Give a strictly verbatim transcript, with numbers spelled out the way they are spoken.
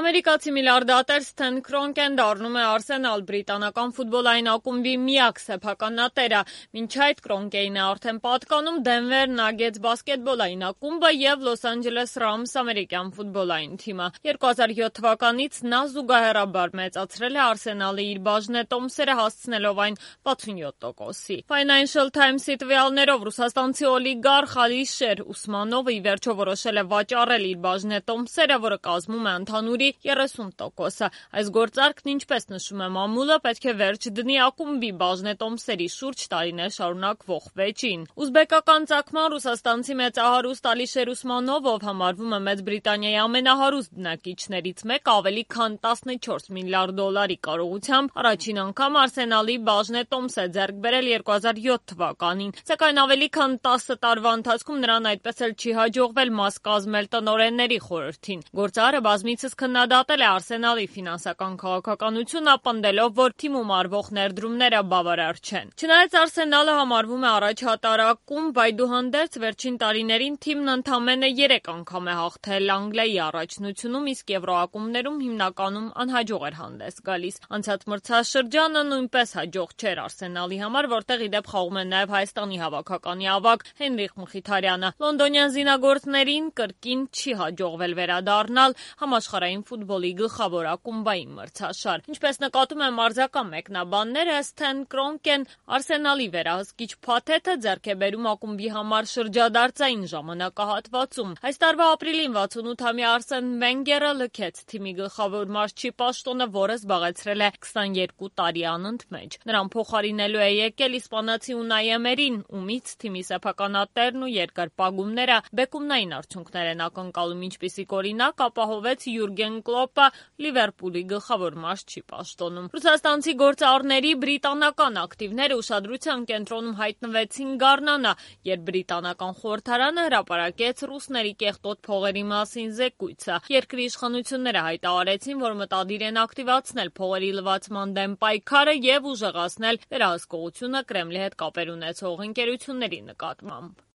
Ամերիկացի միլիարդատեր Սթեն Քրոնկեն դառնում է Արսենալ բրիտանական ֆուտբոլային ակումբի միակ սեփականատերը։ Մինչ այդ Քրոնկեին է արդեն պատկանում Դենվեր Նագետս բասկետբոլային ակումբը եւ Լոս Անջելես Ռամս ամերիկյան ֆուտբոլային թիմը։ երկու հազար յոթ թվականից նա զուգահեռաբար մեծացրել է Արսենալի իր բաժնետոմսերը, հասցնելով այն վաթսունյոթ տոկոսի։ Financial Times-ի տվյալներով ռուսաստանցի օլիգարխ Ալիշեր Ուսմանովը ի վերջո որոշել է վաճառել իր բաժնետոմսերը, որը կազմում է ընդհանուրի երեսուն տոկոսը։ Այս գործարքն, ինչպես նշում է մամուլը, պետք է վերջ դնի ակումբի բաժնետոմսերի շուրջ տարիներ շարունակվող վեճին։ Ուզբեկական ծագման ռուսաստանցի մեծահարուստ Ալիշեր Ուսմանովը, ով համարվում է Մեծ Բրիտանիայի ամենահարուստ բնակիչներից մեկը, ավելի քան տասնչորս միլիարդ դոլարի կարողությամբ առաջին անգամ Արսենալի բաժնետոմս է ձեռք բերել երկու հազար յոթ թվականին, սակայն ավելի քան տասը տարվա ընթացքում նրան այդպես էլ չի հաջողվել մաս կազմել տնօրենների խորհրդին։ Գործարը բազմիցս քննադատել է Արսենալի ֆինանսական քաղաքականությունը, պնդելով, որ թիմում արվող ներդրումները բավարար չեն։ Չնայած Արսենալը համարվում է առաջատարակում, այդուհանդերձ վերջին տարիներին թիմն ընդամենը երեք անգամ է հաղթել Անգլիայի առաջնությունում, իսկ եվրոակումբներում հիմնականում անհաջող էր հանդես գալիս։ Անցած մրցաշրջանը նույնպես հաջող չէր Արսենալի համար, որտեղ ի դեպ խաղում է նաև Հայաստանի հավաքականի ավագ Հենրիխ Մխիթարյանը։ Լոնդոնյան զինագործներին կրկին չի հաջողվել վերադառնալ համաշխարհային ֆուտբոլի գլխավոր ակումբային մրցաշար։ Ինչպես նկատում են մարզական մեկնաբանները, Սթեն Քրոնկեն Արսենալի վերահսկիչ փաթեթը ձեռք է բերում ակումբի համար շրջադարձային ժամանակահատվածում։ Այս տարվա ապրիլին վաթսունութամյա Արսեն Վենգերը լքեց թիմի գլխավոր մարզչի պաշտոնը, որը զբաղեցրել է քսաներկու տարի անընդմեջ։ Նրան փոխարինելու է եկել իսպանացի Ունայ Էմերին, ումից թիմի սեփականատերն ու երկրպագումները բեկումնային արդյունքներ են ակնկալում, ինչպիսիք օրինակ ապահովեց Յուրգեն Կլոպը Լիվերպուլի գլխավոր մարզչի պաշտոնում։ Ռուսաստանցի գործարարների բրիտանական ակտիվները ուշադրության կենտրոնում հայտնվեցին գարնանը, երբ բրիտանական խորհրդարանը հրապարակեց ռուսների կեղտոտ փողերի մասին զեկույցը։ Երկրի իշխանությունները հայտարարեցին, որ մտադիր են ակտիվացնել փողերի լվացման դեմ պայքարը եւ ուժեղացնել վերահսկողությունը Կրեմլի հետ կապեր ունեցող ընկերությունների նկատմամբ։